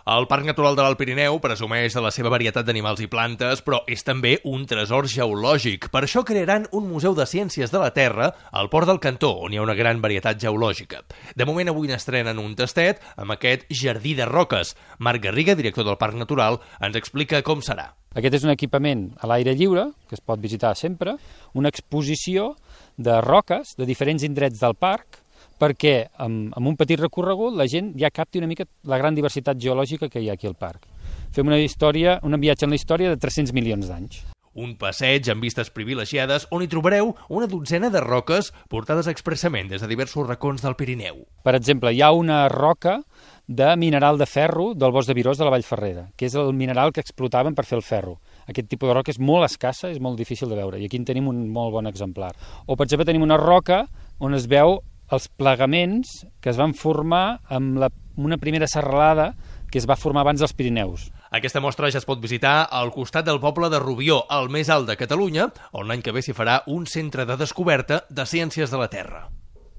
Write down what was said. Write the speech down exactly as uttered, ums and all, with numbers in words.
El Parc Natural de l'Alt Pirineu presumeix de la seva varietat d'animals i plantes, però és també un tresor geològic. Per això crearan un museu de ciències de la Terra al Port del Cantó, on hi ha una gran varietat geològica. De moment avui n'estrenen un tastet amb aquest jardí de roques. Marc Garriga, director del Parc Natural, ens explica com serà. Aquest és un equipament a l'aire lliure, que es pot visitar sempre, una exposició de roques de diferents indrets del parc, perquè amb, amb un petit recorregut la gent ja capti una mica la gran diversitat geològica que hi ha aquí al parc. Fem una història, un viatge en la història de tres-cents milions d'anys. Un passeig amb vistes privilegiades on hi trobareu una dotzena de roques portades expressament des de diversos racons del Pirineu. Per exemple, hi ha una roca de mineral de ferro del bosc de Virós de la Vallferrera, que és el mineral que explotaven per fer el ferro. Aquest tipus de roca és molt escassa, és molt difícil de veure, i aquí en tenim un molt bon exemplar. O, per exemple, tenim una roca on es veu els plegaments que es van formar amb la, una primera serralada que es va formar abans dels Pirineus. Aquesta mostra ja es pot visitar al costat del poble de Rubió, el més alt de Catalunya, on l'any que ve s'hi farà un centre de descoberta de ciències de la Terra.